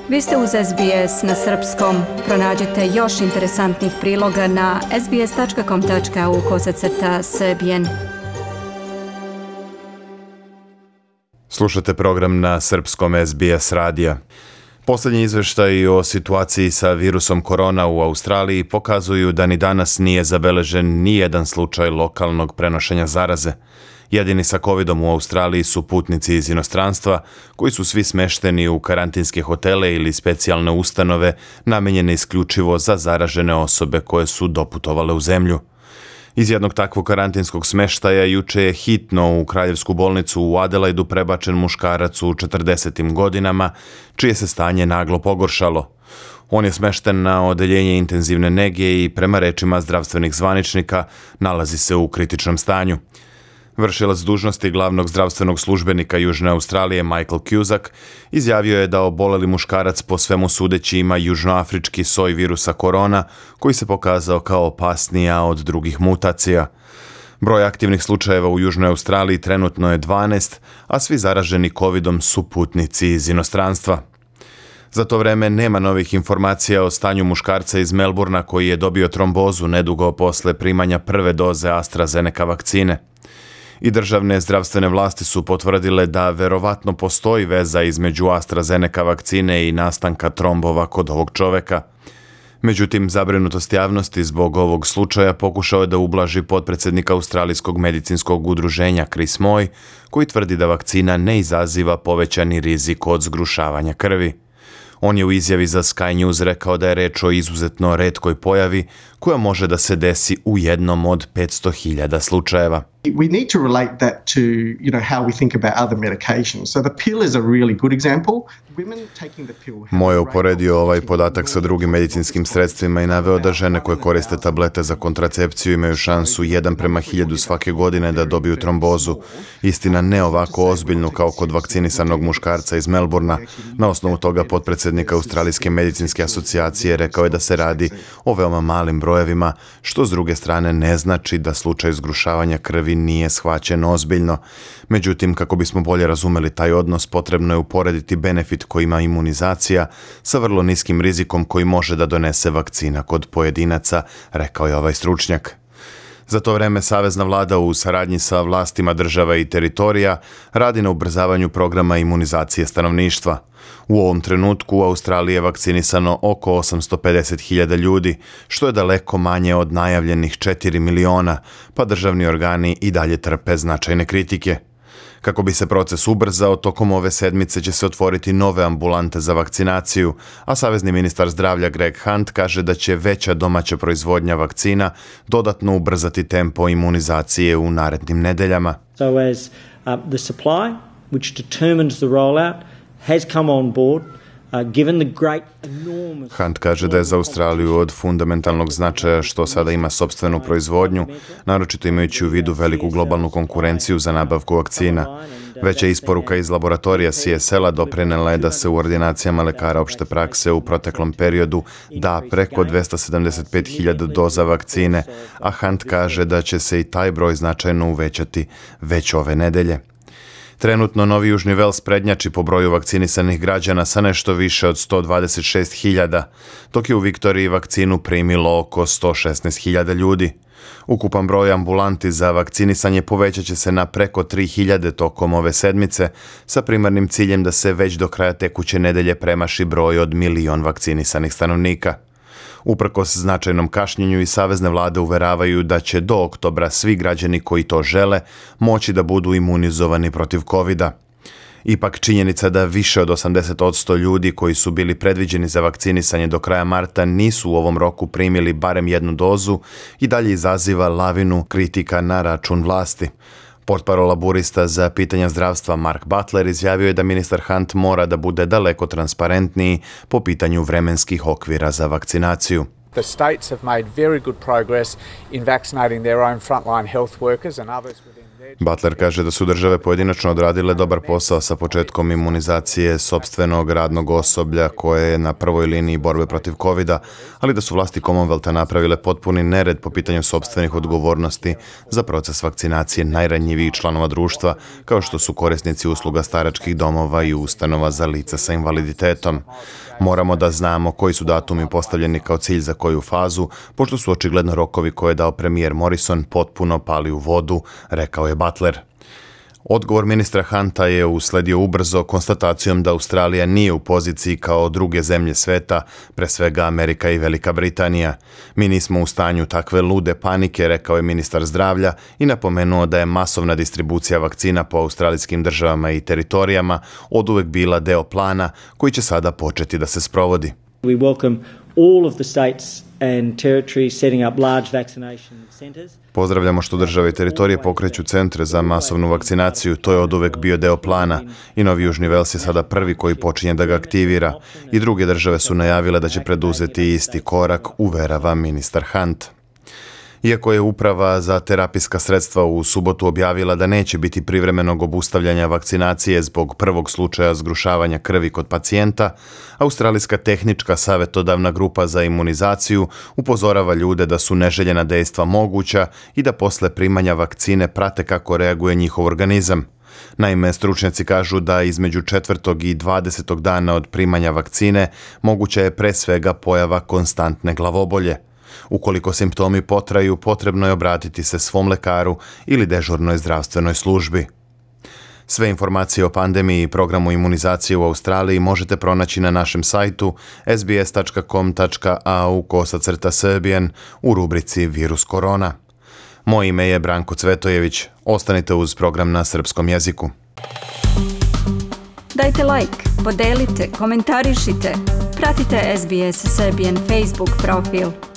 Vi ste uz SBS na srpskom. Pronađite još interesantnih priloga na sbs.com.au/srbijen. Slušate program na srpskom SBS radija. Posljednji izvještaji o situaciji sa virusom korona u Australiji pokazuju da ni danas nije zabeležen ni jedan slučaj lokalnog prenošenja zaraze. Jedini sa covidom u Australiji su putnici iz inostranstva, koji su svi smešteni u karantinske hotele ili specijalne ustanove namijenjene isključivo za zaražene osobe koje su doputovale u zemlju. Iz jednog takvog karantinskog smeštaja juče je hitno u kraljevsku bolnicu u Adelaidu prebačen muškarac u 40. godinama, čije se stanje naglo pogoršalo. On je smešten na odeljenje intenzivne nege i prema rečima zdravstvenih zvaničnika nalazi se u kritičnom stanju. Vršilac dužnosti glavnog zdravstvenog službenika Južne Australije Michael Cusack izjavio je da oboleli muškarac po svemu sudeći ima južnoafrički soj virusa korona koji se pokazao kao opasnija od drugih mutacija. Broj aktivnih slučajeva u Južnoj Australiji trenutno je 12, a svi zaraženi covidom su putnici iz inostranstva. Za to vreme nema novih informacija o stanju muškarca iz Melbourna koji je dobio trombozu nedugo posle primanja prve doze AstraZeneca vakcine. I državne zdravstvene vlasti su potvrdile da verovatno postoji veza između AstraZeneca vakcine i nastanka trombova kod ovog čoveka. Međutim, zabrinutost javnosti zbog ovog slučaja pokušao je da ublaži potpredsjednik Australijskog medicinskog udruženja Chris Moy, koji tvrdi da vakcina ne izaziva povećani rizik od zgrušavanja krvi. On je u izjavi za Sky News rekao da je reč o izuzetno retkoj pojavi koja može da se desi u jednom od 500.000 slučajeva. We need to relate that to, how we think about other medications. So the pill is a really good example. Women taking the pill. Moje je uporedio ovaj podatak sa drugim medicinskim sredstvima i naveo da žene koje koriste tablete za kontracepciju imaju šansu 1:1000 svake godine da dobiju trombozu. Istina ne ovako ozbiljnu kao kod vakcinisanog muškarca iz Melbourna. Na osnovu toga potpredsjednik Australijske medicinske asocijacije rekao je da se radi o veoma malim brojevima, što s druge strane ne znači da slučaj zgrušavanja krvi nije shvaćen ozbiljno. Međutim, kako bismo bolje razumeli taj odnos, potrebno je uporediti benefit koji ima imunizacija sa vrlo niskim rizikom koji može da donese vakcina kod pojedinaca, rekao je ovaj stručnjak. Za to vreme savezna vlada u saradnji sa vlastima država i teritorija radi na ubrzavanju programa imunizacije stanovništva. U ovom trenutku u Australiji je vakcinisano oko 850.000 ljudi, što je daleko manje od najavljenih 4 miliona, pa državni organi i dalje trpe značajne kritike. Kako bi se proces ubrzao, tokom ove sedmice će se otvoriti nove ambulante za vakcinaciju, a savezni ministar zdravlja Greg Hunt kaže da će veća domaća proizvodnja vakcina dodatno ubrzati tempo imunizacije u narednim nedeljama. So as the supply, which determines the rollout, has come on board. Hunt kaže da je za Australiju od fundamentalnog značaja što sada ima sopstvenu proizvodnju, naročito imajući u vidu veliku globalnu konkurenciju za nabavku vakcina. Veća isporuka iz laboratorija CSL-a doprinela je da se u ordinacijama lekara opšte prakse u proteklom periodu da preko 275.000 doza vakcine, a Hunt kaže da će se i taj broj značajno uvećati već ove nedelje. Trenutno Novi Južni Vels prednjači po broju vakcinisanih građana sa nešto više od 126.000, dok je u Viktoriji vakcinu primilo oko 116.000 ljudi. Ukupan broj ambulanti za vakcinisanje povećat će se na preko 3.000 tokom ove sedmice, sa primarnim ciljem da se već do kraja tekuće nedelje premaši broj od 1 milion vakcinisanih stanovnika. Uprkos značajnom kašnjenju i savezne vlade uveravaju da će do oktobra svi građani koji to žele moći da budu imunizovani protiv covida. Ipak činjenica da više od 80% ljudi koji su bili predviđeni za vakcinisanje do kraja marta nisu u ovom roku primili barem jednu dozu i dalje izaziva lavinu kritika na račun vlasti. Portparol laburista za pitanja zdravstva Mark Butler izjavio je da ministar Hunt mora da bude daleko transparentniji po pitanju vremenskih okvira za vakcinaciju. The states have made very good progress in vaccinating their own frontline health workers and others within their Butler kaže da su države pojedinačno odradile dobar posao sa početkom imunizacije sopstvenog radnog osoblja koje je na prvoj liniji borbe protiv covida, ali da su vlasti Commonwealtha napravile potpuni nered po pitanju sopstvenih odgovornosti za proces vakcinacije najranjivijih članova društva, kao što su korisnici usluga staračkih domova i ustanova za lica sa invaliditetom. Moramo da znamo koji su datumi postavljeni kao cilj za koju fazu, pošto su očigledno rokovi koje je dao premijer Morrison potpuno pali u vodu, rekao je Butler. Odgovor ministra Hunta je usledio ubrzo konstatacijom da Australija nije u poziciji kao druge zemlje sveta, pre svega Amerika i Velika Britanija. Mi nismo u stanju takve lude panike, rekao je ministar zdravlja i napomenuo da je masovna distribucija vakcina po australijskim državama i teritorijama oduvek bila deo plana koji će sada početi da se sprovodi. We welcome all of the states and territories setting up large vaccination centers. Pozdravljamo što države i teritorije pokreću centre za masovnu vakcinaciju, to je oduvek bio deo plana i Novi Južni Vels je sada prvi koji počinje da ga aktivira i druge države su najavile da će preduzeti isti korak, uverava ministar Hunt. Iako je Uprava za terapijska sredstva u subotu objavila da neće biti privremenog obustavljanja vakcinacije zbog prvog slučaja zgrušavanja krvi kod pacijenta, Australijska tehnička savjetodavna grupa za imunizaciju upozorava ljude da su neželjena dejstva moguća i da posle primanja vakcine prate kako reaguje njihov organizam. Naime, stručnjaci kažu da između 4. i 20. dana od primanja vakcine moguća je pre svega pojava konstantne glavobolje. Ukoliko simptomi potraju, potrebno je obratiti se svom lekaru ili dežurnoj zdravstvenoj službi. Sve informacije o pandemiji i programu imunizacije u Australiji možete pronaći na našem sajtu sbs.com.au/serbian u rubrici Virus korona. Moje ime je Branko Cvetojević. Ostanite uz program na srpskom jeziku. Dajte like, podelite, komentarišite. Pratite SBS Serbian Facebook profil.